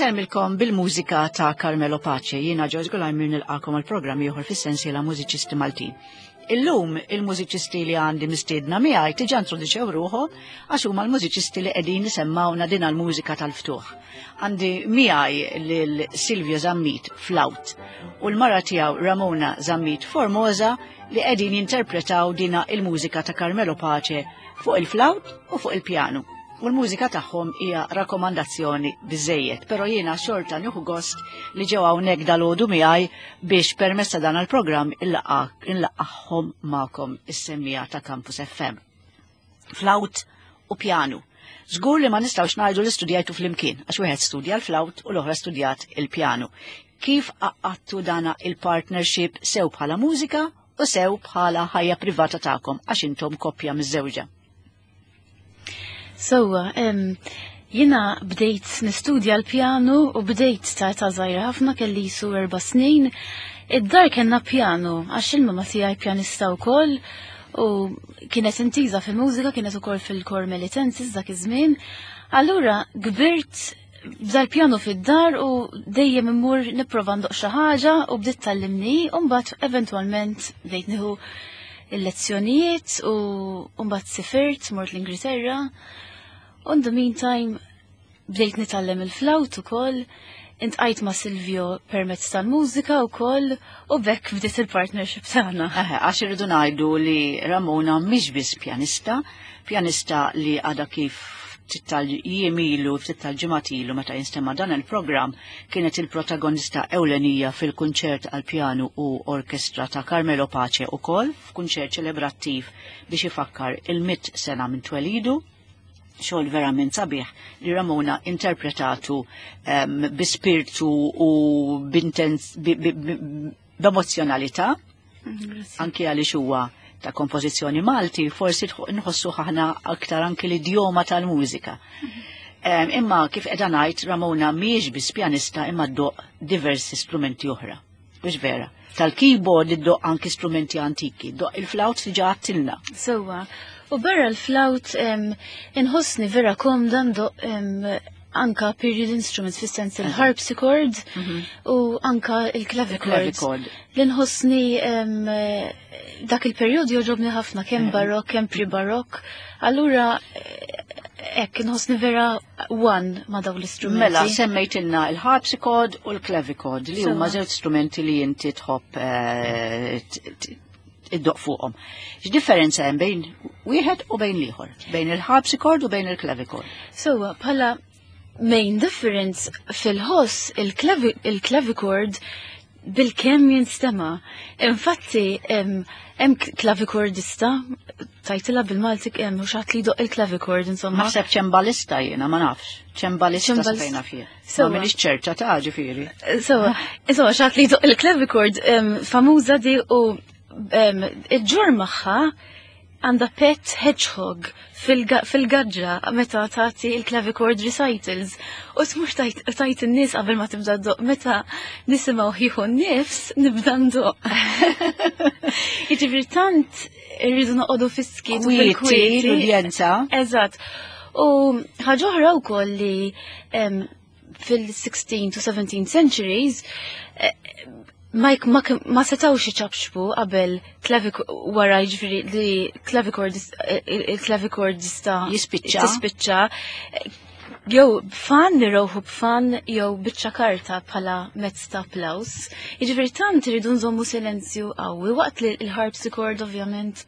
Insellmilkom bil-mużika ta' Carmelo Pace, jiena George Gulajmir nilqakom għal programm ieħor fis-sensiela Mużiċisti Maltin. Illum il-mużiċisti li għandi mistiedna miegħi tiġa introduċew ruħhom għax huma l-mużiċisti li qegħdin isemmawna din l-mużika tal-ftuħ. Għandi miegħi lil Silvio Zammit flaut u l-mara tiegħu Ramona Zammit Formosa li qegħdin jinterpretaw dina il-mużika ta' Carmelo Pace fuq il-flaut u fuq il-pjanu. U l-mużika tagħhom hija rakkomandazzjoni biżejjed, però jiena xorta nieħu gost li ġew hawnhekk dalgħodu miegħi biex permezz ta' dan il-programm inlaqgħhom magħkom is-semmija ta' Campus FM. Flaut u pjanu. Żgur li ma nistgħux ngħidu li studjajtu flimkien, għax wieħed studja l-flaut u l-oħra studjat il-pjanu. Kif għaqqadtu dana il-partnership sew bħala mużika u sew bħala ħajja privata tagħkom għax intom koppja miż-żewġa? Sewwa, jiena bdejt nistudja l-pjanu u bdejt ta' età żgħira ħafna kelli jisu erba' snin. Id-dar kellna pjanu għax il-mama tiegħi pjanista wkoll u kienet intiża fil-mużika, kienet ukoll fil-kor Melitensis dak iż-żmien. Allura kbirt b'dal-pjanu fid-dar u dejjem immur nipprova ndoq xi ħaġa u bdiet tallimni u mbagħad eventwalment bdejt nieħu il-lezzjonijiet u mbagħad sifirt mort l-Ingilterra. U in the meantime bdejt nitgħallem il-flawt ukoll, intqajt ma' Silvio permezz tal-mużika wkoll u bekk bdiet il-partnership tagħna. Għax irridu ngħidu li Ramona mhix biss pjanista, pjanista li għadha kif ftit tal-jiem ilu, ftit tal-ġimgħat ilu meta jinstema' dan il-programm kienet il-protagonista ewlenija fil-kunċert għal pjanu u orkestra ta' Carmelo Pace ukoll f'kunċert ċelebrattiv biex ifakkar il-mit sena minn twelidu xogħol verament sabiħ li Ramona interpretatu um, bi spirtu u b'emozzjonalità, anki għaliex huwa ta' kompożizzjoni Malti, forsi nħossu ħahna aktar anki l-idjoma tal-mużika. Um, imma kif qiegħda ngħid Ramona mhijiex biss pjanista imma ddoq diversi strumenti oħra. Mhux vera. Tal-keyboard iddoq anki strumenti antiki, doq il-flawt diġà għattilna. Sewwa. U barra l-flawt inħossni vera komda ndoq anka period instruments fis-sens il-harpsichord u anka il-clavichord. Li nħossni dak il-perjodu joġobni ħafna kemm barok, kemm pre-barok. Allura hekk inħossni vera one ma' dawn l-istrumenti. Mela, semmejtilna il-harpsichord u l-clavichord li huma żewġ strumenti li inti tħobb eh, iddoq fuqhom. X'differenza hemm bejn wieħed u bejn l-ieħor? Bejn il-harpsichord u bejn il-clavichord? Sewwa, bħala main difference fil-ħoss il-clavichord bil-kemm jinstema. Infatti, hemm clavichordista, tajtila bil-Malti hemm mhux ħadd li jdoq il-clavichord insomma. Naħseb ċembalista jiena ma nafx. Ċembalista fejna fih. Ma minix ċerta ta' ġifieri. Sewwa, insomma xatt li jdoq il-clavichord famuża di u iġġur magħha għandha pet hedgehog fil-gaġġa meta tagħti il-clavichord recitals. U tmur tajt in-nies qabel ma tibda ddoq meta nisimgħu ħieħu n-nifs nibda ndoq. Jiġifieri tant irridu noqogħdu fis-skiet u fil-kwiet. L-udjenza. Eżatt. U ħaġa oħra wkoll li fil-16 to 17 centuries eh, ma, ma, ma setawx iċabxbu qabel wara jiġifieri li clavichord il-clavichordista Jispiċċa. tispiċċa jew b'fan li rowħu b'fan jew biċċa karta bħala mezz ta' applaws. Jiġifieri tant iridu nżommu silenzju qawwi waqt li l-harpsichord ovvjament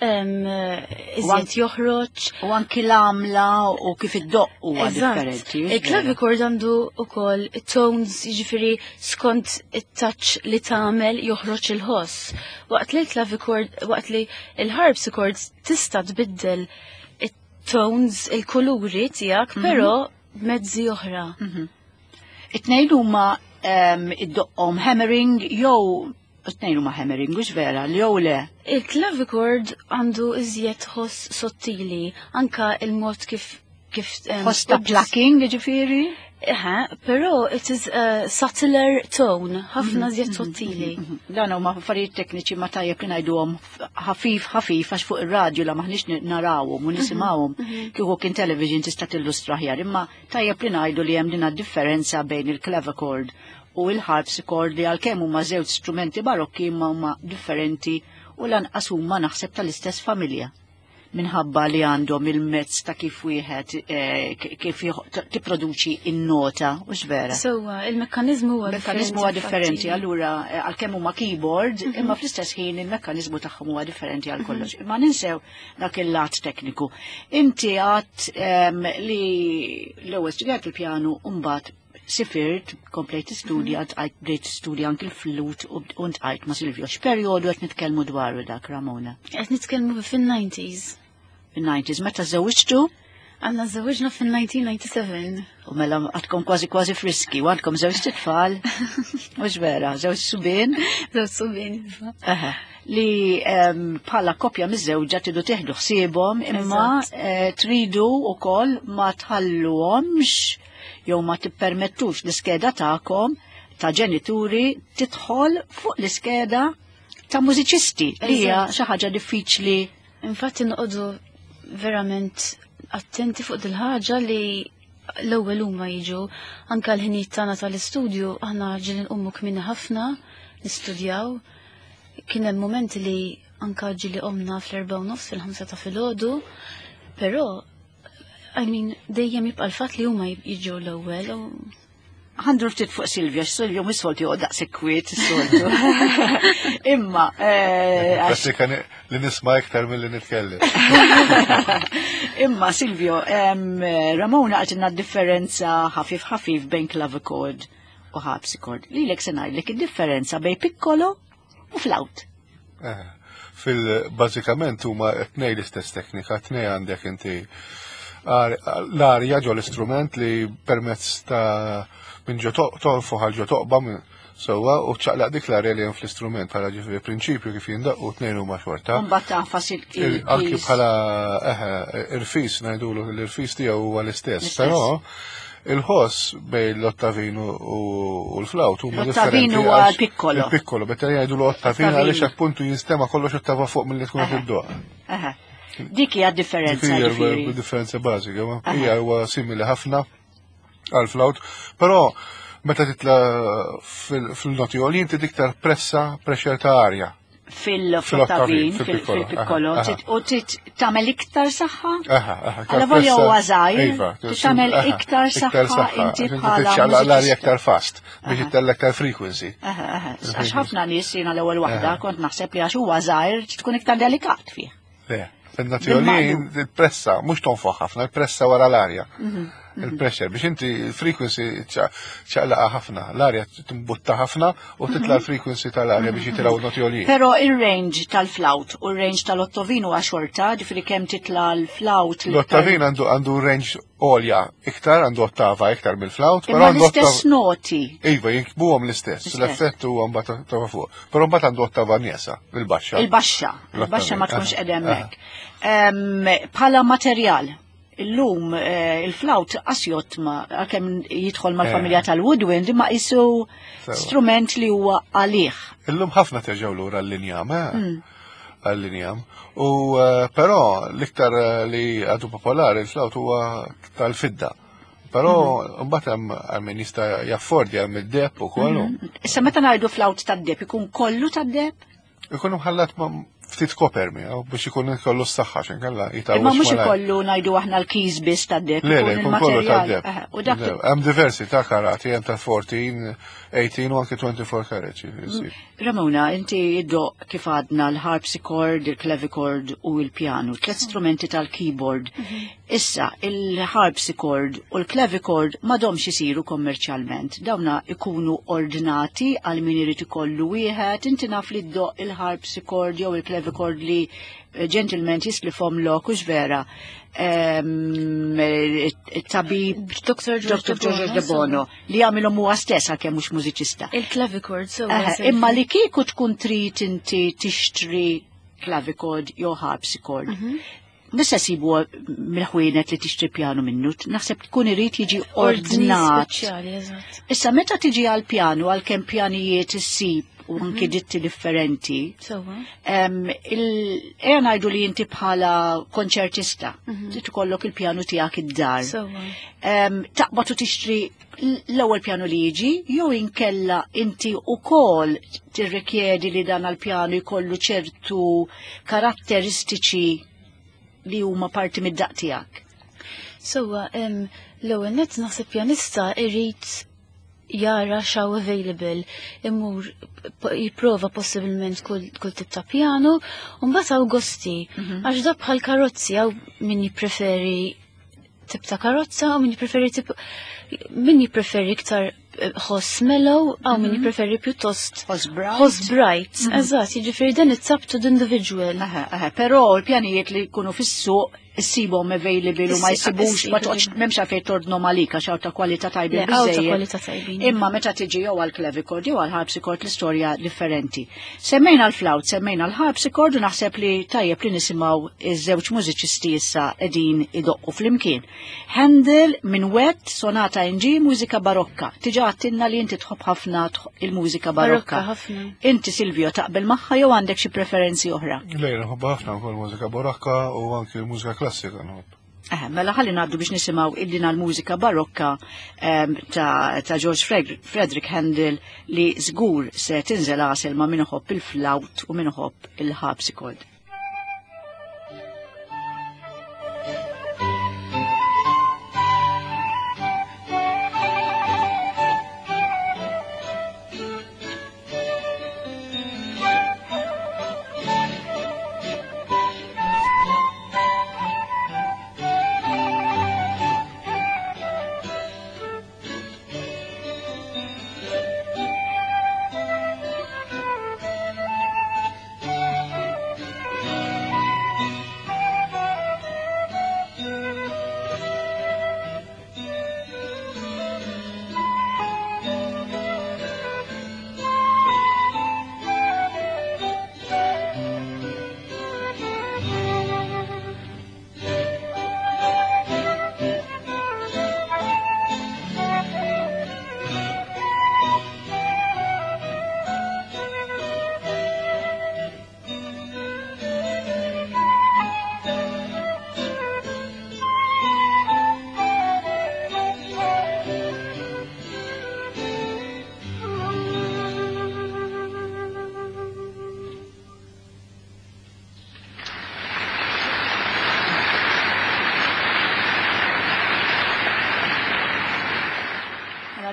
iżjed joħroġ. U anki l-għamla u kif id-doq huwa differenti. Il-clavichord għandu ukoll tones jiġifieri skont it-touch li tagħmel joħroġ il-ħoss. Waqt li l-clavichord, waqt li l-harpsichord tista' tbiddel it-tones, il-kuluri tiegħek, però b'mezzi oħra. It-tnejn huma id-doqqhom hammering jew it-tnejn huma hammering, mhux vera, li jew le. Il-clavichord għandu iżjed ħoss sottili, anka il-mod kif kif Ħoss ta' plucking, ġifieri? Eħe, però it is a subtler tone, ħafna żjed sottili. Dan huma affarijiet tekniċi ma tajjeb li ngħiduhom ħafif ħafif għax fuq ir-radju la maħniex narawhom u nisimgħuhom kieku kien television tista' tillustra aħjar, imma tajjeb li ngħidu li hemm din differenza bejn il-clavichord u il-harpsichord li għalkemm huma żewġ strumenti barokki imma huma differenti u lanqas huma naħseb tal-istess familja minħabba li għandhom il-mezz ta' kif wieħed kif tipproduċi in-nota, u vera. So, il-mekkanizmu huwa Il-mekkanizmu huwa differenti, infatti. Allura għalkemm huma keyboard, imma fl-istess ħin il-mekkanizmu tagħhom huwa differenti għal kollox. Imma ninsew dak il-lat tekniku. Inti għat li l-ewwel studjat il-pjanu u mbagħad sifirt, komplejt studja, tqajt bdejt studja anki l-flut u ntqajt ma' Silvio. X'perjodu qed nitkellmu dwaru dak, Ramona? Qed nitkellmu fin-90s. Fin-90s, meta żewġtu? Aħna żewġna fin-1997. U mela għadkom kważi kważi friski, u għandkom żewġ tfal, mhux vera, żewġ subien. Żewġ subien, iva. Aha. Li bħala koppja miż-żewġa tridu tieħdu ħsiebhom, imma tridu wkoll ma tħalluhomx jew ma tippermettux l-iskeda tagħkom ta' ġenituri tidħol fuq l-iskeda ta' mużiċisti li hija xi ħaġa diffiċli. Infatti noqogħdu verament attenti fuq dil-ħaġa li l-ewwel huma jiġu anke l-ħinijiet tagħna tal-istudju, aħna ġieli nqumu kmieni ħafna nistudjaw. Kien hemm momenti li anke ġieli qomna fl-4:30 fil-5 ta' filgħodu, però I mean, dejjem jibqa' l-fatt li huma jiġu l-ewwel u Ħa ndur ftit fuq Silvia, Silvia mhux soltu joqgħod daqshekk kwiet is-soltu. Imma, għax Prattika li nisma' iktar milli nitkellem. Imma Silvio, Ramona għatinna differenza ħafif ħafif bejn clavichord u harpsichord. Lilek se ngħidlek id-differenza bejn piccolo u flawt. Fil-bażikament huma tnej l-istess teknika, tnej għandek inti l-arja ġo l-istrument li permezz ta' minn ġo tonfoħ għal ġo toqba minn sewwa u ċaqlaq dik l-arja li hemm fl-istrument bħala ġifieri prinċipju kif jindaqqu tnejn huma xorta. Mbagħad tagħfas Anki il-keys. bħala, eħe, irfis ngħidulu l-irfis tiegħu huwa l-istess, L-istess. però il-ħoss bejn l-ottavinu u l-flawt huma L-ottavinu differenti huwa għax l-piccolo. Il-piccolo, meta jgħidu l-ottavinu Ottavinu. għaliex appuntu jinstema' kollox ottava fuq milli tkun qed iddoqq. Eħe. Dik hija differenza, Dik hija ġifieri. differenza bażika, ma hija huwa simili ħafna għal flawt, però meta titla fil-noti għolin inti diktar pressa, pressure ta' arja. Fil-ottavin, Fil-piccolo, fil-piccolo, aha, u tagħmel iktar saħħa? Aha, aha, iktar Alla volja pressa, huwa żgħir, iva, tagħmel aha, iktar iktar saħħa saħħa, inti inti bħala tiċċaqlaq l-arja mużiċista. iktar fast biex ittella iktar frequency. Aha, aha. Għax ħafna nies jiena l-ewwel waħda kont naħseb li għax huwa żgħir tkun iktar delikat fih. Le, fil-noti għolin il-pressa, mhux tonfoħ ħafna, il-pressa wara l-arja. Il-pressure, biex inti il-frequency ċaqlaqa ħafna, l-arja timbutta ħafna u titla l-frequency tal-arja biex jitilgħu noti għoljin. Però il-range tal-flawt u il-range tal-ottavin huwa xorta, ġifieri kemm titla l-flawt. L-ottavin għandu range għolja iktar, għandu ottava iktar mill-flawt, però Imma għandu l-istess ottava. noti. Iva, jinkbuhom l-istess, L-istess. l-effett huwa mbagħad ottava fuq. Però mbagħad għandu ottava nieqsa, il-baxxa. Il-baxxa, il-baxxa ma L-ottavin, tkunx aha, qed hemmhekk. Bħala materjal, illum il-flawt asjot ma għalkemm jidħol mal-familja tal-woodwind imma qisu strument li huwa għalih. Illum ħafna terġgħu lura l-linjam, eh? Għall-linjam. U però l-iktar li għadu popolari il-flawt huwa tal-fidda. Però mbagħad hemm għal min jista' jaffordja hemm id-deheb ukoll. Issa meta ngħidu flawt tad-deheb ikun kollu tad-deheb? Ikun mħallat ma' ftit koper miegħu biex ikun kollu s-saħħa x'inkella jitgħawweġ Imma mhux malajr. ikollu ngħidu aħna l-keys biss tad-deheb. Le, le, ikun ikun kollu il-materjal. tad-deheb. Eħe, u dak Le, hemm diversi ta' karati, hemm ta' 14, 18 u anke 24 karat. ġifieri. Ramona, inti iddoqq kif għadna l-harpsichord, il-clavichord u il-piano, tliet strumenti tal-keyboard. Issa, il-harpsichord u l-clavichord m'għadhomx isiru kommerċjalment. Dawna ikunu ordnati għal min irid ikollu wieħed, inti naf li ddoqq il-harpsichord jew il-clavichord li gentleman jislifhom lok, hux vera. Tabib Dr. George Dr. George De De Bono li jagħmilhom huwa stess għalkemm mhux mużiċista. Il-clavichord, so. Imma li kieku tkun trid inti tixtri clavichord jew harpsichord. Mhux se sibu mill-ħwienet li tixtri pjanu minnu, naħseb tkun irid jiġi Ordni ordnat. speċjali, eżatt. Issa meta tiġi għal pjanu għalkemm pjanijiet issib u anki ditti differenti, Sewwa. Ejja ngħidu li inti bħala konċertista, trid ikollok il-pjanu tiegħek id-dar. Sewwa. Taqbad u tixtri l-ewwel pjanu li jiġi, jew inkella inti wkoll tirrikjedi li dan għall-pjanu jkollu ċertu karatteristiċi li huma parti mid-daq tiegħek. Sewwa, l-ewwel nett naħseb pjanista irid jara x'hawn available, imur jipprova possibilment kull tip ta' pjanu, u mbagħad hawn gosti, għax da bħal karozzi hawn min jippreferi tip ta' karozza u min jippreferi tip min jippreferi iktar ħoss mellow, hawn min jippreferi pjuttost Ħoss bright. ħoss bright, eżatt, jiġifieri dan it's up to the individual. Aha, aha, però l-pjanijiet li jkunu fis-suq issibhom available u ma jsibux, ma toqgħodx m'hemmx għalfejn tordnhom għalik għax hawn ta' kwalità tajbin Le, hawn ta' biżejjed. kwalità tajbin. Imma meta tiġi jew għall-clavichord jew għall-harpsichord l-istorja differenti. Semmejna l-flawt, semmejna l-harpsichord u naħseb li tajjeb li nisimgħu iż-żewġ mużiċisti issa qegħdin idoqqu flimkien. Handel Minuet, Sonata in G, mużika barokka. Tiġa għattinna li inti tħobb ħafna il-mużika barokka. Barokka ħafna. Inti Silvio taqbel magħha jew għandek xi preferenzi oħra? Lejna nħobb ħafna wkoll mużika barokka u anki mużika klassika nħobb. Mela ħalli ngħaddu biex nisimgħu illina l-mużika barokka ta' George Frederick Handel li żgur se tinżel għasel ma' min iħobb il-flawt u min iħobb il-harpsichord.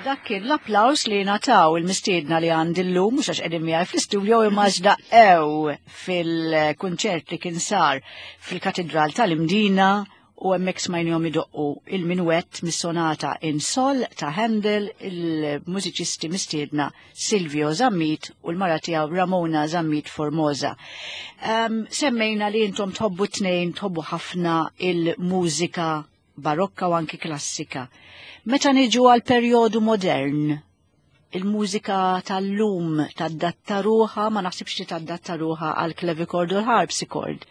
Dak kien l-applaus li nataw il-mistiedna li għandi llum, mhux għax qegħdin miegħi fl-istudio imma għax daqqew fil-kunċert li kien sar fil-Katedral tal-Imdina u hemmhekk smajnihom idoqqu il-minuett mis-sonata in Sol ta' Handel, il-mużiċisti mistiedna Silvio Zammit u l-mara tiegħu Ramona Zammit Formosa. Semmejna li intom tħobbu tnejn, tħobbu ħafna il-mużika barokka u anki klassika. Meta niġu għal perjodu modern, il-mużika tal-lum tadatta ruħha, ma naħsibx li tadatta ruħha għal clavichord u l-harpsichord.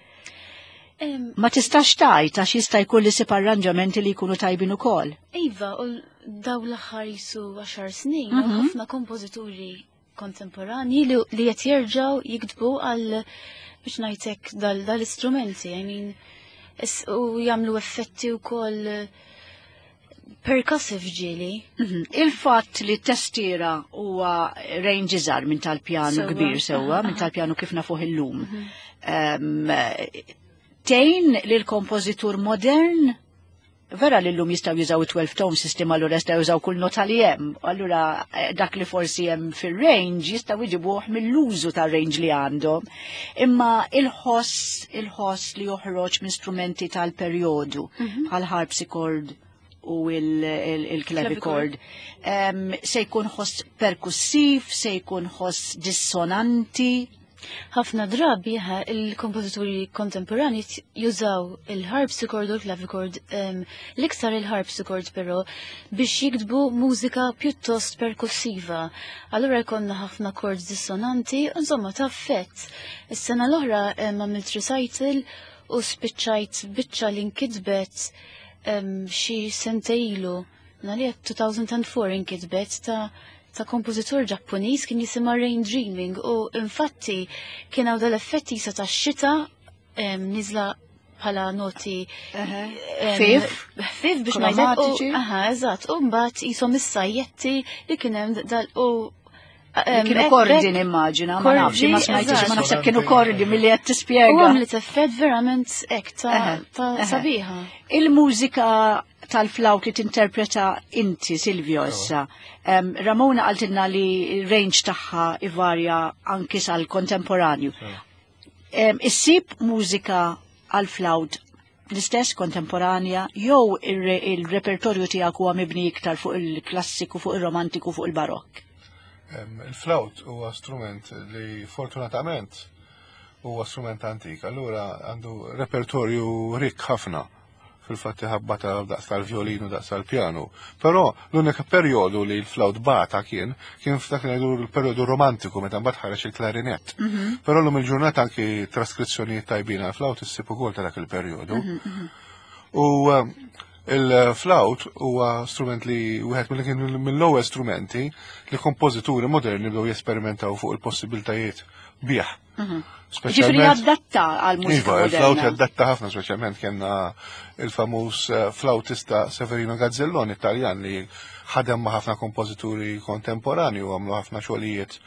Ma tistax tajt għax jista' jkun li sib arranġamenti li jkunu tajbin ukoll. Iva, u daw l-aħħar jisu 10 snin, ħafna kompożituri kontemporani li qed jerġgħu jiktbu għal biex ngħidlek dal-istrumenti, I mean, u jagħmlu effetti wkoll percussive ġieli. Il-fatt li t-testiera huwa range iżgħar minn tal-pjanu kbir sewwa, minn tal-pjanu kif nafuh illum. Tejn li l-kompożitur modern vera li llum jistgħu jużaw 12 tone system, allura jistgħu jużaw kull nota li hemm. Allura dak li forsi hemm fir-range jistgħu jġibuh mill-użu tar-range li għandhom. Imma il-ħoss li joħroġ minn strumenti tal-perjodu bħal harpsichord u il-clavichord, se jkun ħoss perkussiv, se jkun ħoss dissonanti. Ħafna drabi il-kompożituri kontemporani jużaw il-harpsichord u l-clavichord, l-iktar il-harpsichord però, biex jiktbu mużika pjuttost perkussiva. Allura jkollna ħafna chords dissonanti, insomma ta' effett. Is-sena l-oħra għamilt recital u spiċċajt biċċa li nkitbet xi sentejlu, nalija 2004 inkitbet ta' kompożitur Ġappuniż kien jisimha Rain Dreaming u infatti kien hawn dal-effetti jisa ta' xita niżla bħala noti Ħfief? ħfief biex ngħidlek. Kromatiċi? Aha, eżatt. U mbagħad qishom is-sajjetti li kien hemm dal u Kienu kordi nimmaġina, ma nafx, ma smajtix, ma naħseb kienu kordi milli qed U tispjega. għamlet effett verament hekk ta' sabiħa. Il-mużika tal-flawt li tinterpreta inti, Silvio, issa. Ramona qaltilna li range tagħha ivarja anki sal-kontemporanju. Issib mużika għal-flawt l-istess kontemporanja jew il-repertorju tiegħek huwa mibni iktar fuq il-klassiku, fuq il-romantiku, fuq il-barokk? Il-flawt huwa strument li fortunatament huwa strument antik, allura għandu repertorju rikk ħafna, fil-fatt ħabba ta' daqs tal-violinu, daqs tal-pjanu. Però l-unika perjodu li l-flawt bata kien f'dak li ngħidu l-perjodu romantiku meta mbagħad ħareġ il-klarinett. Però llum il-ġurnata anki traskrizzjonijiet tajbin għal-flawt issib ukoll ta' dak il-perjodu. U il-flawt huwa strument li wieħed mill kien mill-ewwel strumenti li kompożituri moderni bdew jesperimentaw fuq il-possibiltajiet bih. Ġifieri jaddatta għal mużika Iva, il-flawt moderna. jaddatta ħafna, speċjalment kellna il-famuż flautista Severino Gazzelloni Italjan li ħadem ma' ħafna kompożituri kontemporani u għamlu ħafna xogħlijiet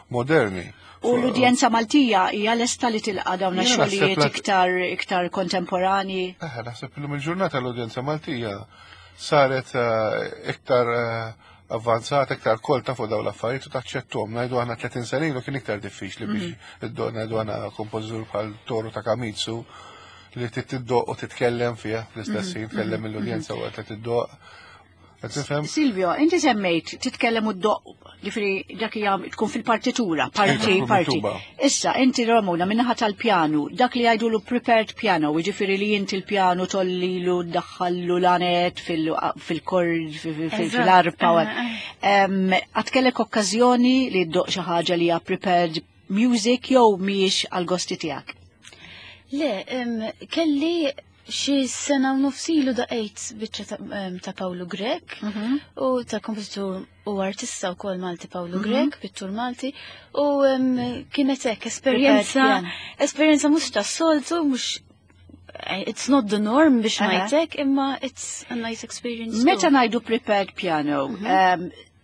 moderni. U l-udjenza Maltija hija lesta li tilqa' dawn Jiena naħseb ix-xogħlijiet iktar kontemporani. Naħseb illum il-ġurnata l-udjenza Maltija saret iktar avvanzata, iktar kolta fuq dawn l-affarijiet u taċċettuhom. Ngħidu aħna 30 sena ilu kien iktar diffiċli biex iddoq, ngħidu aħna kompożitur bħal Toru Takemitsu li trid tiddoq u titkellem fiha fl-istess ħin, tkellem mill-udjenza waqt li tiddoq. Qed tifhem? Silvio, inti semmejt titkellem u ddoq, ġifieri dak hija tkun fil-partitura, parti, Iva, tkun parti. miktuba. Issa, inti Ramona, minnaħa tal-pjanu, dak li jgħidulu prepared piano, jiġifieri li inti l-pjanu tollilu, ddaħħallu l-anet fil-kord, fil-arpa. Qatt kellek okkażjoni li ddoq xi ħaġa li hija prepared music jew mhijiex għal-gosti tiegħek? Le, kelli xi sena u nofs ilu daqqejt biċċa ta' Paolo Grech u ta' kompożitur u artista wkoll Malti Paolo Grech, pittur Malti, u kienet hekk esperjenza, Prepared piano. esperjenza mhux ta' soltu, mhux it's not the norm biex ngħidlek, imma it's a nice experience. Meta too. ngħidu prepared piano,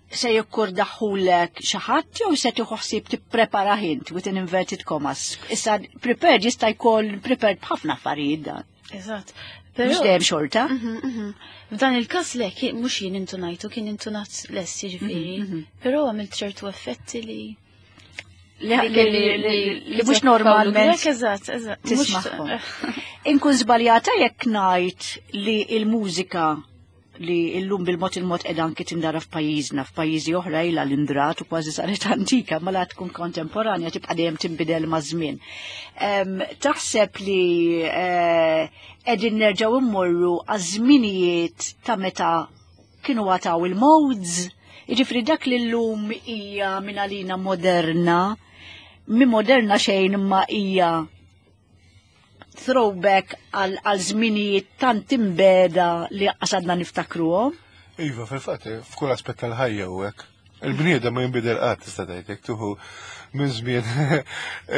se jikkurdaħulek xi ħadd jew se tieħu ħsieb tipprepara int with an inverted commas? Issa prepared jista' jkun prepared b'ħafna affarijiet dan. Eżatt. Mhux Però dejjem xorta. F'dan il-każ le, mhux jien intunajtu, kien intunat lest, jiġifieri. Però għamilt ċertu effetti li Li mhux normalment Grech, eżatt. Mhux tismagħhom. Inkun żbaljata jekk ngħid li l-mużika li illum bil-mod il-mod qiegħda anki tindara f'pajjiżna, f'pajjiżi oħra ilha l-indrat u kważi saret antika, ma la tkun kontemporanja tibqa' dejjem tinbidel maż-żmien. Taħseb li qegħdin nerġgħu immorru għaż-żminijiet ta' meta kienu għataw il-modes, jiġifieri dak li llum hija minn għalina moderna, mi moderna xejn imma hija throwback għal żminijiet tant imbeda li qasadna niftakruhom. Iva, fil-fatt, f'kull aspett tal-ħajja u hekk. Il-bniedem ma jinbidel qatt tista' tgħid, jekk tuħu minn żmien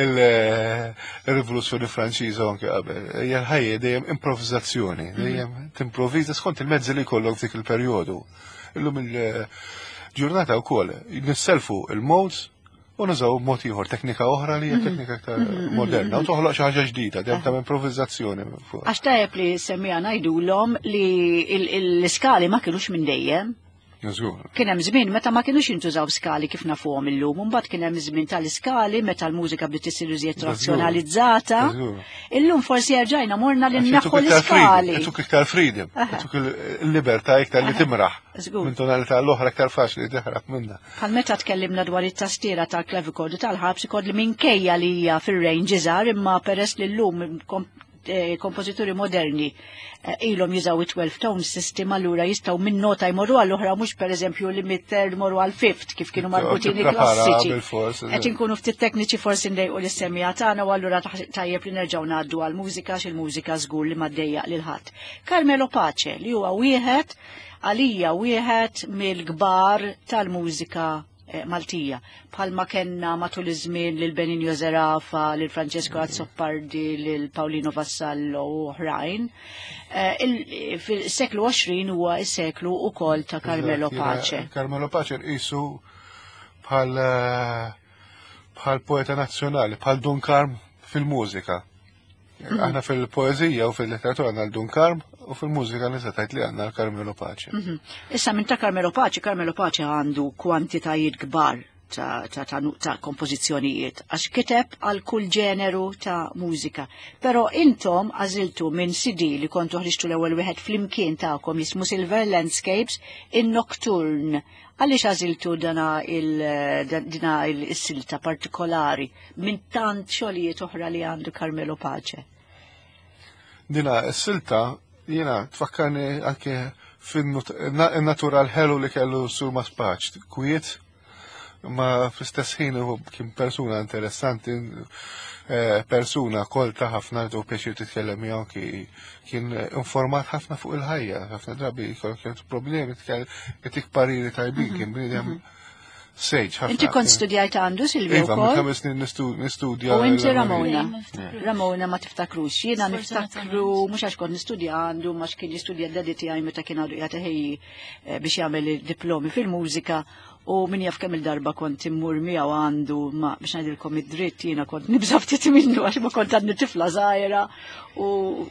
il-Rivoluzzjoni Franċiża u anke qabel. Hija l-ħajja dejjem improvviżazzjoni, dejjem timprovviża skont il-mezzi li jkollok f'dik il-perjodu. Illum il-ġurnata wkoll nisselfu il-modes u nużaw mod ieħor, teknika oħra li hija teknika aktar moderna u toħloq xi ħaġa ġdida, dejjem ta' improvviżazzjoni fuq. Għax tajjeb li semmija ngħidulhom li l-iskali ma kinux minn dejjem. Żgur. Kien hemm żmien meta ma kinux jintużaw skali kif nafuhom illum, u mbagħad kien hemm żmien tal-iskali meta l-mużika bdiet isir iżjed razzjonalizzata. Illum forsi erġajna morna li Għax naħħu jtuk iktar freedom, l-iskali. jtuk iktar freedom, jtuk il-libertà iktar li timraħ. Minn tonalità l-oħra iktar faċli teħrab minnha. Bħal meta tkellimna dwar it-tastiera tal-clavichord u tal-harpsichord li minkejja li hija fir-range iżgħar, imma peress li llum kompożituri moderni ilhom jużaw it-12 tone system allura jistgħu minn nota jmorru għall oħra mhux pereżempju li mid-third morru għal fifth kif kienu marbutin il-klassiċi. Qed inkunu ftit tekniċi forsi ndejqu lis-semija tagħna u allura tajjeb li nerġgħu ngħaddu għall mużika x'il-mużika żgur li ma ddejjaq lil ħadd. Carmelo Pace li huwa wieħed għalija wieħed mill-kbar tal-mużika Maltija. Bħalma kellna matul iż-żmien lil Benigno Zerafa, lil Francesco Azzopardi, lil Paolino Vassallo u oħrajn. Fil-seklu 20 huwa s-seklu ukoll ta' Carmelo Pace. Carmelo Pace nqisu bħal bħal poeta nazzjonali, bħal Dun Karm fil-mużika. Aħna fil-poezija u fil-letteratura għandna l-Dun Karm u fil-mużika nista' tgħid li għandna l-Carmelo Pace. Issa minn ta' Carmelo Pace, Carmelo Pace għandu kwantitajiet kbar ta' kompożizzjonijiet għax kiteb għal kull ġeneru ta' mużika. Però intom għażiltu minn CD li kontu ħriġtu l-ewwel wieħed flimkien tagħkom jismu Silver Landscapes in Nocturne. Għaliex għażiltu dana dina il-silta partikolari minn tant xogħlijiet oħra li għandu Carmelo Pace? Dina s-silta jiena tfakkarni anke fin-natural ħelu li kellu Sur Maspaċ, kwiet, ma fl-istess ħin hu kien persuna interessanti, persuna kolta ħafna li pjaċir titkellem miegħu, kien informat ħafna fuq il-ħajja, ħafna drabi jkollok ċertu problemi, jtik pariri tajbin, kien bniedem sage ħafna. Inti kont studjajt għandu, Silvio, Iva, minn wkoll? 5 snin nistudja U inti l-armonija. Ramona? Yeah. Ramona ma tiftakrux. Jiena Sfortunatament. niftakru, mhux għax kont nistudja għandu, ma x'kien jistudja d-daddy tiegħi meta kien għadu qiegħed iħejji biex jagħmel id-diplomi fil-mużika, u min jaf kemm il-darba kont immur miegħu għandu, ma biex ngħidilkom id-dritt jiena kont nibża' ftit minnu għax ma kont għadni tifla żgħira, u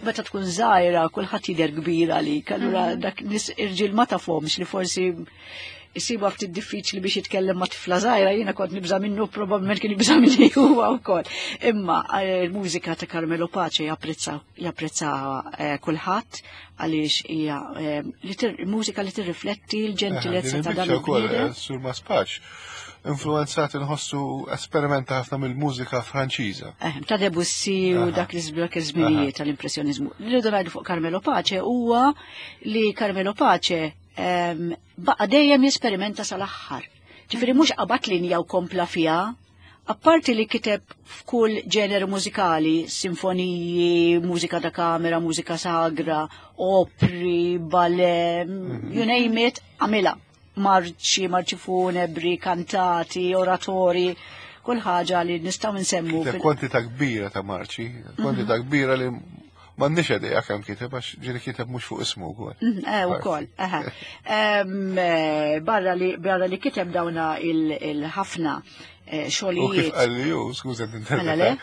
meta tkun żgħira kulħadd jidher kbir għalik, allura dak nies irġiel ma tafhomx li forsi jisibu ftit diffiċli biex jitkellem ma' tifla żgħira, jiena kont nibża' minnu, probabbilment kien jibża' minni huwa wkoll. Imma l-mużika ta' Carmelo Pace japprezzaha kulħadd għaliex hija mużika li tirrifletti l-ġentilezza ta' dan Din il-biċċa wkoll, il-bniedem. Sur Maspaċ, influenzat inħossu esperimenta ħafna mill-mużika Franċiża. Ta' Debussy u dak li żblok iż-żminijiet tal-impressjoniżmu. Li rridu ngħidu fuq Carmelo Pace huwa li Carmelo Pace baqa' dejjem jesperimenta sal-aħħar. Ġifieri mhux qabad linja u kompla fiha, apparti li kiteb f'kull ġeneru mużikali, sinfoniji, mużika ta' kamera, mużika sagra, opri, ballet, you name it, għamilha. Marċi, marċi funebri, kantati, oratori, kull ħaġa li nistgħu nsemmu Kiteb fil- kwantità kbira ta' marċi, kwantità kbira li m'għandniex idea kemm kiteb, għax ġieli kiteb mhux fuq ismu wkoll. Ukoll, aha. Barra li kiteb dawna il-ħafna U kif xogħlijiet. qalli hu, skuża Mela le? ninterpreta,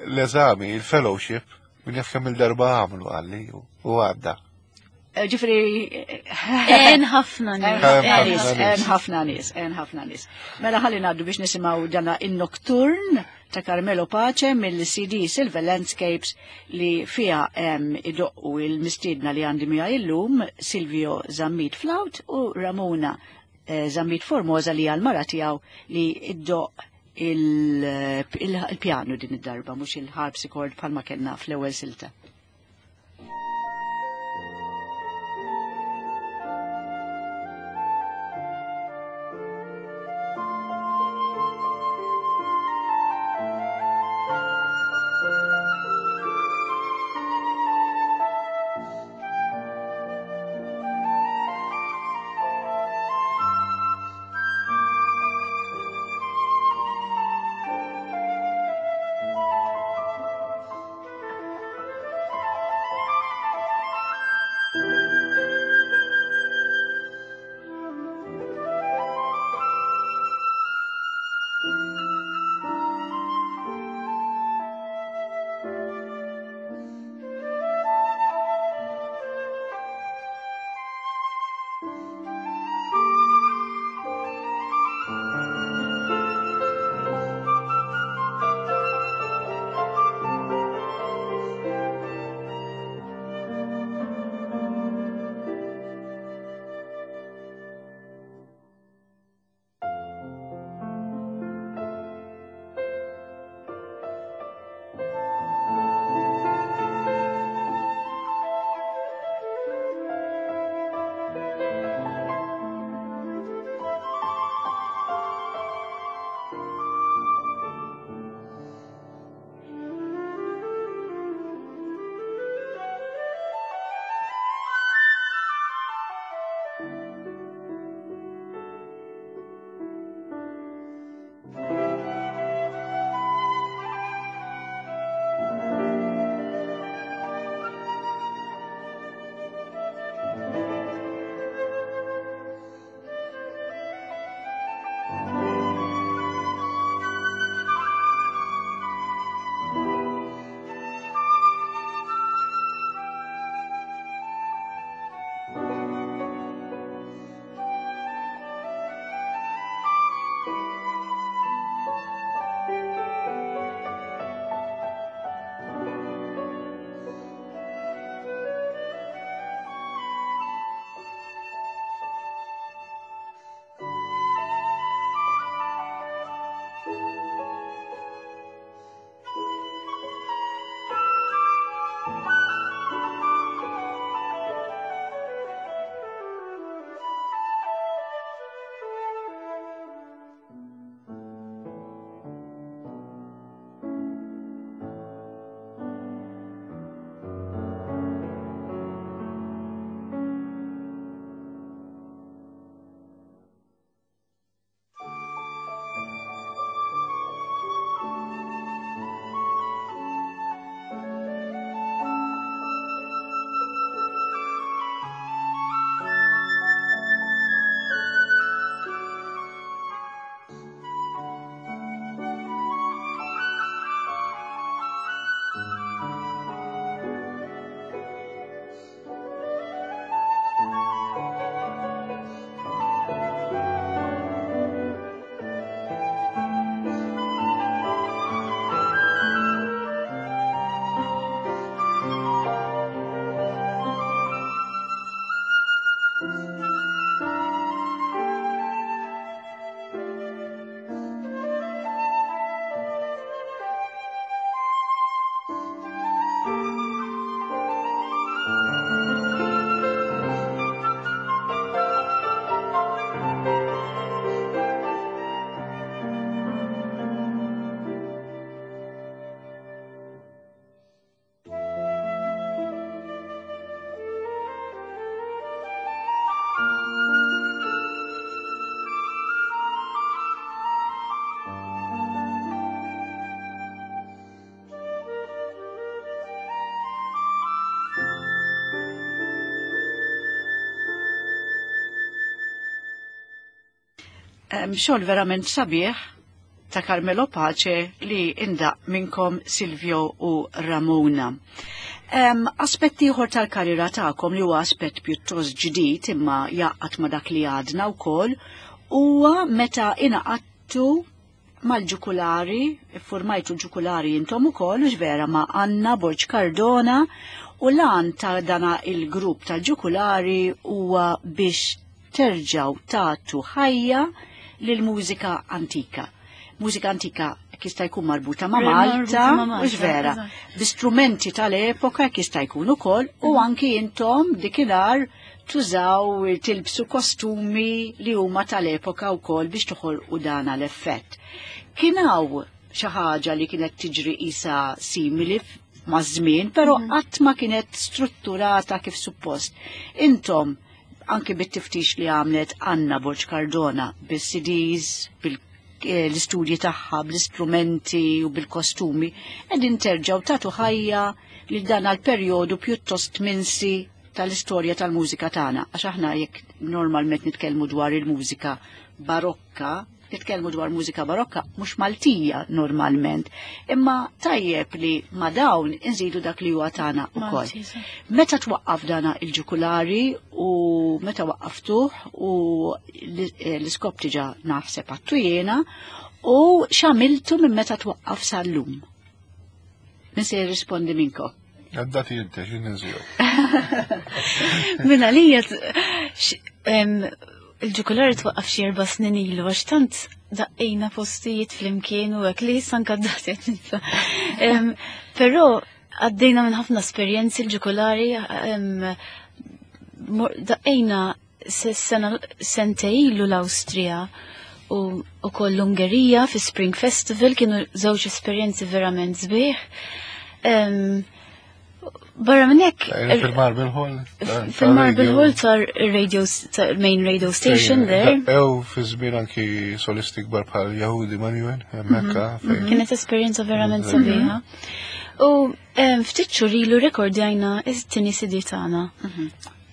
l-eżami, il-fellowship, min jaf kemm il-darba għamlu qalli u għadda. Ġifieri, En ħafna nies. En En ħafna nies, nies. en ħafna nies, en ħafna nies. Mela ħalli ngħaddu biex nisimgħu dana in-Nocturne ta' Carmelo Pace mill-CD Silver Landscapes li fiha hemm idoqqu il-mistiedna li għandi miegħi illum Silvio Zammit Flaut u Ramona Zammit Formosa li għal mara tiegħu li iddoq il-pjanu din id-darba, mhux il-harpsichord bħalma kellna fl-ewwel silta. Thank Xogħol verament sabiħ ta' Carmelo Pace li indaq minnkom Silvio u Ramona. Aspett ieħor tal-karriera tagħkom li huwa aspett pjuttost ġdid imma jaqgħad ma' dak li għadna wkoll huwa meta ingħaqadtu mal-ġukulari, iffurmajtu l-ġukulari intom ukoll, hux vera, ma' Anna Borg Cardona, u l-għan ta' dana il-grupp tal-ġukulari huwa biex terġgħu tagħtu ħajja lill-mużika antika. Mużika antika jista' jkun marbuta ma' Malta, hux vera, bi strumenti tal-epoka jista' jkun ukoll, u anki intom dikinhar tużaw tilbsu kostumi li huma tal-epoka wkoll biex toħolqu dana l-effett. Kien hawn xi ħaġa li kienet tiġri qisha simili maż-żmien, però qatt ma kienet strutturata kif suppost. Intom anki bit-tiftix li għamlet Anna Borg Cardona bis-CDs, bil-istudji tagħha, bl-istrumenti u bil-kostumi, qegħdin terġgħu tagħtu ħajja lil dan għal-perjodu pjuttost minsi tal-istorja tal-mużika tagħna, għax aħna jekk normalment nitkellmu dwar il-mużika barokka, nitkellmu dwar mużika barokka mhux Maltija normalment, imma tajjeb li ma dawn inżidu dak li huwa tagħna wkoll. Meta twaqqaf dana il-ġukulari u meta waqqaftuh u l-iskop diġà naħseb għattu jiena u x'għamiltu minn meta twaqqaf sal-lum? Min se jirrispondi minnkom? Għaddati inti, xin nżiju. Minna lija, il-ġukulari twaqqaf xi 4 snin ilu, għax tant daqqejna postijiet flimkien u hekk li issa anke d-dati qed ninsa. Però għaddejna minn ħafna esperjenzi l-ġukulari, daqqejna sena sentej ilu l-Awstrija u koll l-Ungerija fi Spring Festival, kienu żewġ esperjenzi verament sbieħ. Barra minn hekk, Fil-Marble Hall? Fil-Marble Hall tar radio, tar main radio station there. Ew fi żmien anki solisti kbar bħal Yehudi Manuel, hemmhekk, fejn. Kienet esperjenza verament sabiħa. U ftit xhur ilu rekordjajna it-tieni CD tagħna.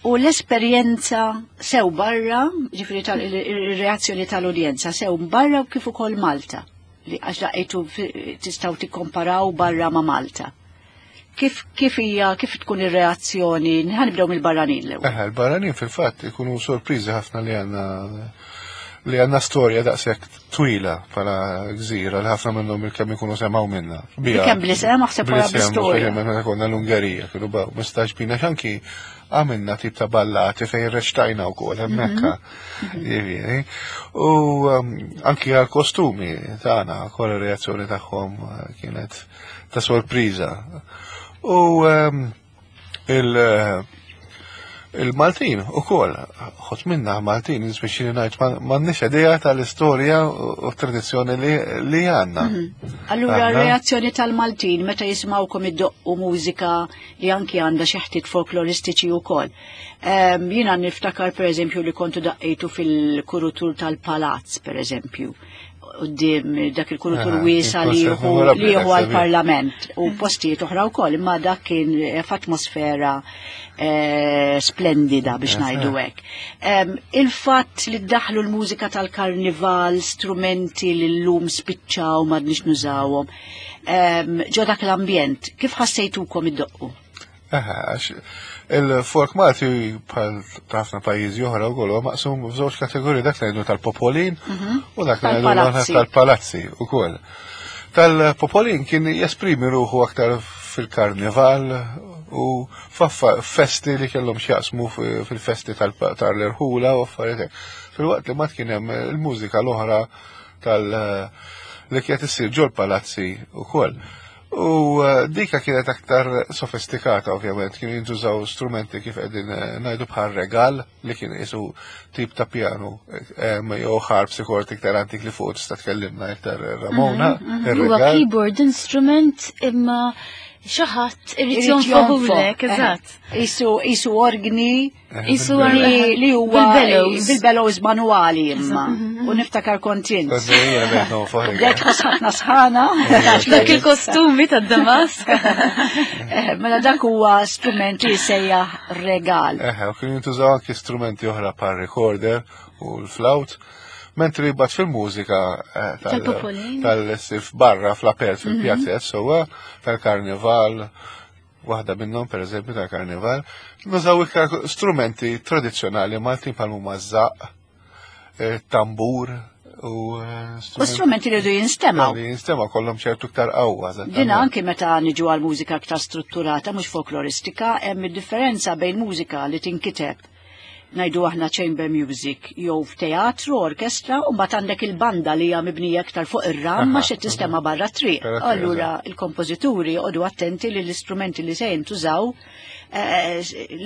U l-esperjenza sew barra, ġifieri tal-reazzjoni tal-udjenza sew barra u kif ukoll Malta, li għax laqgħetu tistgħu tikkomparaw barra ma' Malta. Kif tkun ir-reazzjoni? Ħanibdew mill-barranin l-ewwel. Eħe, il-barranin fil-fatt ikunu sorpriżi ħafna li għandna storja daqshekk twila bħala gżira li ħafna minnhom il-kemm ikunu semgħu minna. Bija. Kemm bl-isem, aħseb wara Bl-isem, bl-istorja. speċjalment meta konna l-Ungerija, kienu baqgħu mistaġbin għax anki għamilna tip ta' ballati fejn reċtajna wkoll hemmhekk. Jiġifieri. U anki għall-kostumi tagħna, wkoll ir-reazzjoni tagħhom kienet ta' sorpriża. U il-Maltin u kol, ħot minna Maltin, nispeċi li ngħid, m'għandniex idea tal-istorja u tradizzjoni li għandna. Allura, Għandna. reazzjoni tal-Maltin meta jismawkom iddoqqu mużika li anki għandha xi ħtiet folkloristiċi wkoll. Jiena niftakar pereżempju li kontu daqqejtu fil-kurutur tal-Palazz, pereżempju, quddiem dak il-kurutur wiesa Il-konċert memorabbli li dak jieħu sabiħ. għall-Parlament u postijiet oħra wkoll, imma dak kien f'atmosfera splendida biex ngħidu hekk. Il-fatt li ddaħlu l-mużika tal-karnival, strumenti li llum spiċċaw m'għadniex nużawhom, ġo dak l-ambjent, kif ħassejtukom iddoqqu? Aha, għax il-folk Malti bħal ħafna pajjiżi oħra wkoll huwa maqsum f'żewġ kategoriji, dak li ngħidu tal-popolin u dak li ngħidu Tal-palazzi. tal-palazzi wkoll. Tal-popolin kien jesprimi ruħu aktar fil-karnival u festi li kellhom x'jaqsmu fil-festi tal-irħula u affarijiet hekk. Filwaqt li ma kien hemm il-mużika l-oħra li kienet issir ġol-palazzi wkoll. U dika kienet aktar sofistikata, ovvjament, kienu jintużaw strumenti kif qegħdin ngħidu bħal regal li kien isu tip ta' piano jew harpsichord iktar antik li fuq tista' tkellimna iktar Ramona, Huwa ir-regal. keyboard instrument imma xi ħadd irid Irid jonfoħulek, jonfoħ, eżatt. Isu organi, Isu li huwa bil-bellows. bil-bellows manuali imma. U niftakar kontint. Kont jiena bejt nonfoħ. Bdejt tħoss ħafna sħana. Dak il-kostumi tad-Damask. Mela dak huwa strument li jsejjaħ regal. U kienu jintużaw anki strumenti oħra bħal recorder u l-flaut. Mentri bat fil-mużika tal-sif barra fl-apert fil-pjazzet, sewwa tal-karnival, waħda minnhom pereżempju tal-karnival, nużaw iktar strumenti tradizzjonali Maltin bħal huma żaqq, tambur u U strumenti li jridu jinstemaw. Li jinstemaw kollhom ċertu iktar qawwa. Dina anki meta niġu għal mużika aktar strutturata mhux folkloristika, hemm id-differenza bejn mużika li tinkiteb ngħidu aħna chamber music jew f'teatru, orkestra, u mbagħad għandek il-banda li hija mibnija iktar fuq ir-ram ma xed tistema barra triq. Allura il-kompożituri joqogħdu attenti li l-istrumenti li se jintużaw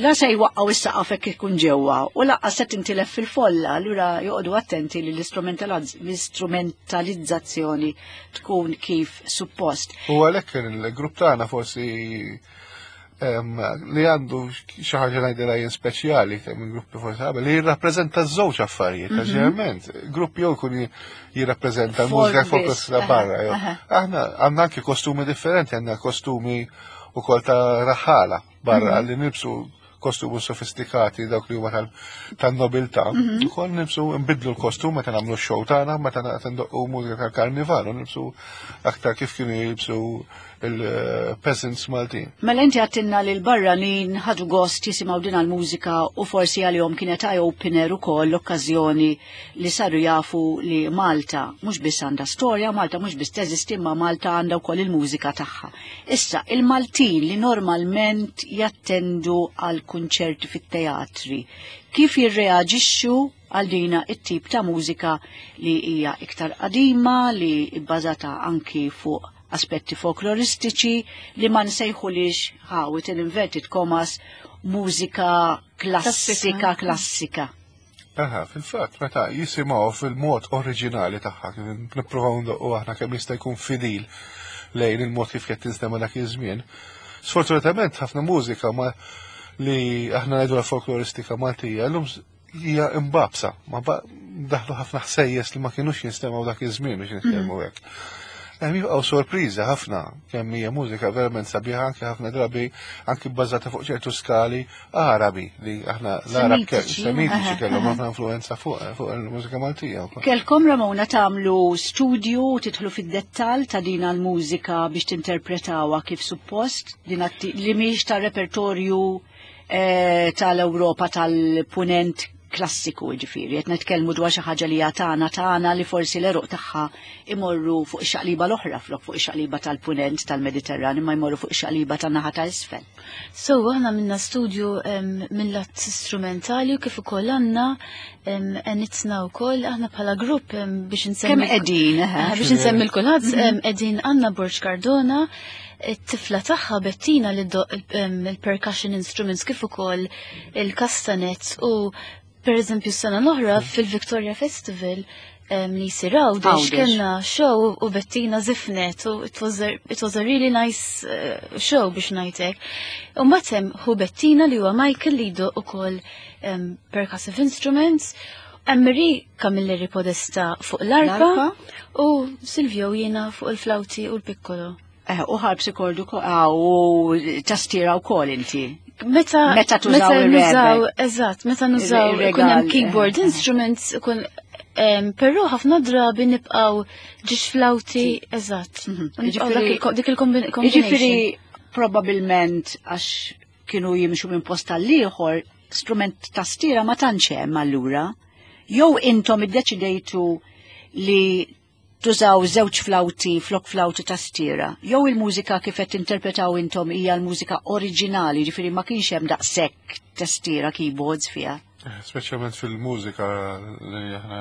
la se jwaqqgħu is-saqaf hekk ikun ġewwa u lanqas se tintilef fil-folla, allura joqogħdu attenti li l-istrumentalizzazzjoni tkun kif suppost. U għalhekk il-grupp tagħna forsi li għandu xi ħaġa ngħidilha jien speċjali minn gruppi forsi qabel li jirrappreżenta żewġ affarijiet, ġeneralment grupp jew jkun jirrappreżenta l-mużika folklorista barra. Aħna għandna anki kostumi differenti, għandna kostumi ukoll ta' raħala barra li nilbsu kostumi sofistikati dawk li huma tan-nobiltà. Ukoll nilbsu nbidlu l-kostum meta nagħmlu x-show tagħna, meta ndoqqu mużika tal-karnival, u nilbsu aktar kif kienu jilbsu il-peasants Maltin. Mela inti għattinna li l-barranin ħadu gost jisimgħu din għal-mużika u forsi għalihom kienet eye-opener ukoll l-okkażjoni li saru jafu li Malta mhux biss għandha storja, Malta mhux biss teżisti, imma Malta għandha wkoll il-mużika tagħha. Issa, il-Maltin li normalment jattendu għal kunċerti fit-teatri, kif jirreaġixxu għal dina it-tip ta' mużika li hija iktar qadima, li bbażata anki fuq aspetti folkloristiċi li ma nsejħulix ħawit in inverted commas mużika klassika klassika. Aha, fil-fatt, meta jisimgħu fil-mod oriġinali tagħha, kif nippruvaw ndoqqu aħna kemm jista' jkun fidil lejn il-mod kif qed tinstema' dak iż-żmien. Sfortunatament ħafna mużika ma li aħna ngħidu la folkloristika Maltija llum hija imbabsa, ma daħlu ħafna ħsejjes li ma kienux jinstemgħu dak iż-żmien biex nitkellmu hekk. Hemm jibqgħu sorpriża ħafna kemm hija mużika verament sabiħa, anke ħafna drabi anke bbażata fuq ċertu skali Arabi li aħna l-Arab Semitiċi kellhom ħafna influenza fuq il-mużika Maltija wkoll. Kelkom Ramona tagħmlu studju tidħlu fid-dettall ta' din l-mużika biex tinterpretawha kif suppost, din li mhix ta' repertorju tal-Ewropa tal-punent klassiku, ġifieri, qed nitkellmu dwar xi ħaġa li hija tagħna tagħna li forsi l-eruq tagħha imorru fuq ix-xaqliba l-oħra flok fuq ix-xaqliba tal-punent tal-Mediterran, imma jmorru fuq ix-xaqliba tan-naħa ta' isfel. So, aħna minna studju mill-lat strumentali u kif ukoll għandna enitna wkoll aħna bħala grupp biex insemmi Kemm qegħdin, eħe? Biex insemmi l-kulħadd, qegħdin għandna Borg Cardona, it-tifla tagħha Bettina li ddoq il-percussion instruments kif ukoll il-castanets u per eżempju s-sena l-oħra fil-Victoria Festival li jsir Għawdex kellna show u Bettina zifnet u it was a really nice show biex ngħidlek. U mbagħad hemm hu Bettina li huwa Michael li jdoq ukoll percussive instruments, Emery Camilleri Podesta fuq l-arpa L-arpa. u Silvio jiena fuq il-flauti u l-piccolo. U harpsichord u tastiera u kol inti. Meta Meta tużaw meta ir-reverb. nużaw, eżatt, meta nużaw Ir-regal, ikun hemm keyboard instruments, ikun però ħafna drabi nibqgħu ġiex flauti, eżatt. U nibqgħu dik il-combination. Ġifieri probabilment għax kienu jimxu minn post tal-ieħor, strument tastiera ma tantx hemm allura. Jew intom iddeċidejtu li tużaw żewġ flauti flok flauti tastiera. Jew il-mużika kif qed tinterpretaw intom hija l-mużika oriġinali, ġifieri ma kienx hemm daqshekk tastiera keyboards fiha. Speċjalment fil-mużika li aħna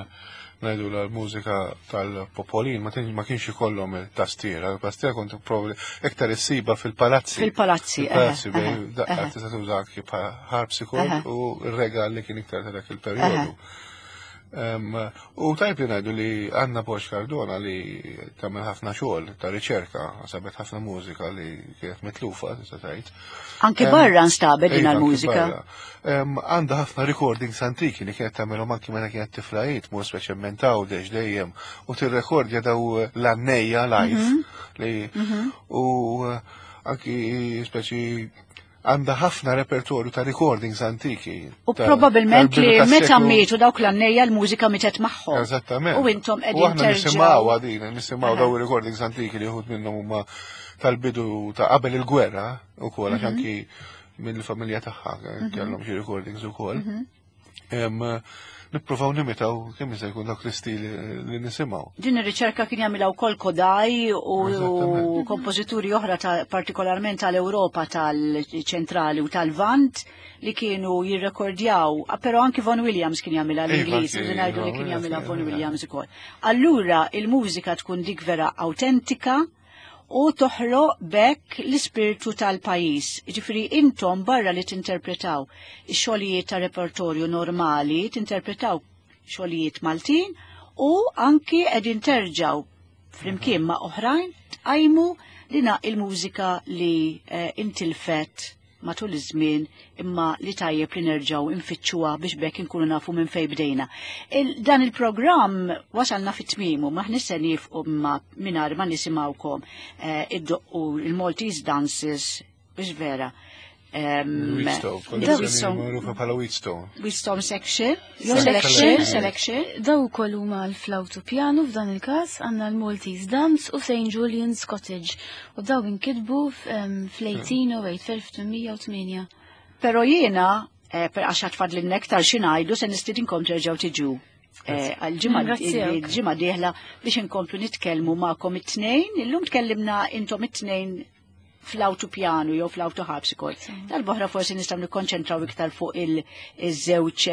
ngħidu l-mużika tal-popolin, ma kienx ikollhom il-tastiera. Il-tastiera kont probabbli iktar issiba fil-palazzi. Fil-palazzi, Fil-palazzi, bejn daqqa tista' tuża anki bħala harpsichord u r-regal li kien iktar ta' dak il-perjodu. U tajb li ngħidu li Anna Bosch Cardona li tagħmel ħafna xogħol ta' riċerka, sabet ħafna mużika li kienet mitlufa, tista' tgħid. Anki barra nstabet din Iva, anki l-mużika. barra. Għandha ħafna recordings antiki li kienet tagħmelhom anki meta kienet tifla hi, tmur speċjalment Għawdex dejjem u tirrekordja daw l-annejja live li u anki speċi Għandha ħafna repertorju ta' recordings antiki. U probabilment li meta mietu dawk l-għannejja l-mużika mietet magħhom. Eżattament. U intom qegħdin U aħna nisimgħu għadin, nisimgħu daw recordings antiki li uħud minnhom huma tal-bidu ta' qabel il-gwerra ukoll għax anki mill-familja tagħha kellhom xi recordings ukoll. Nippruvaw nimitaw kemm jista' jkun dak l-istil li nisimgħu. Din ir-riċerka kien jagħmilha wkoll Kodaj u kompożituri oħra partikolarment tal-Ewropa tal-ċentrali u tal-Vant li kienu jirrekordjaw, però anki Von Williams kien jagħmilha l-Ingliż, u ngħidu li kien jagħmilha Von Williams ukoll. Allura il-mużika tkun dik vera autentika u toħloq bekk l-ispirtu tal-pajjiż. Ġifieri intom barra li tinterpretaw ix-xogħlijiet ta' repertorju normali, tinterpretaw xogħlijiet Maltin u anki qegħdin terġgħu flimkien ma' oħrajn tqajmu dina il-mużika li intilfet matul iż-żmien imma li tajjeb li nerġgħu nfittxuha biex bekk inkunu nafu minn fejn bdejna. Dan il-programm wasalna fit-tmiemu, ma se nifqu ma mingħajr ma nisimgħukom iddoqqu il-Maltese Dances biex vera. Wheatstone, magħrufa bħala Wheatstone. Wheatstone section, selection, selection. Daw ukoll huma l-flawtu piano f'dan il-każ għandna l-Maltese Dance u St. Julian's Cottage. U daw inkitbu fl-1808, fl-1808. Però jiena, per għax għatfad l-nektar xinajdu, se nistidinkom terġgħu tiġu. Għal-ġimgħa dieħla biex inkomplu nitkellmu magħkom it-tnejn. Illum tkellimna intom it-tnejn fl-auto piano jew fl-auto harpsichord. Tal-boħra forsi nistgħu nikkonċentraw iktar fuq il-żewġ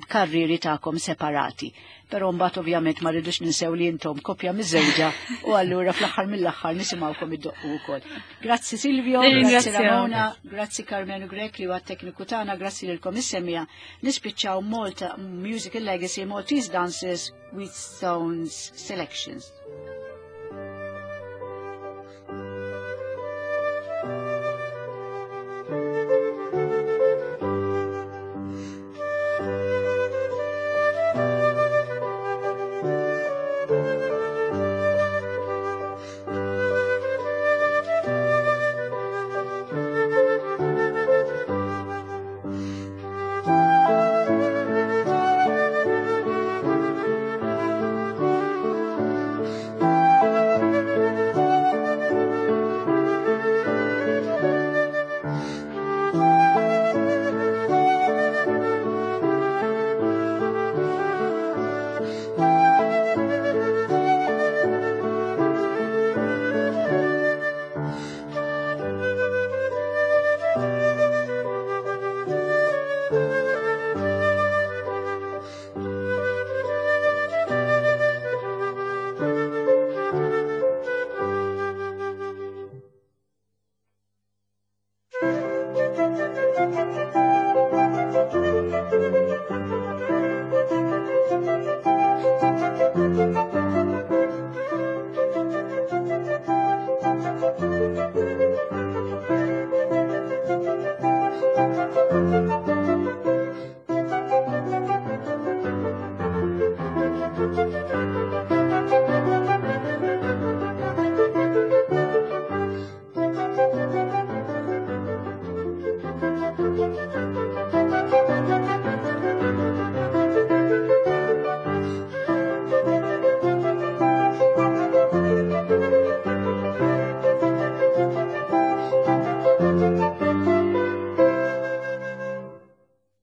karriri tagħkom separati. Però mbagħad ovvjament ma rridux ninsew li intom koppja miż-żewġa u allura fl-aħħar mill-aħħar nisimgħukom iddoqqu wkoll. Grazzi Silvio, grazzi Ramona, grazzi Carmenu Grech li huwa tekniku tagħna, grazzi lilkom is-semija. Nispiċċaw Malta Musical Legacy Maltese Dances with Stones Selections.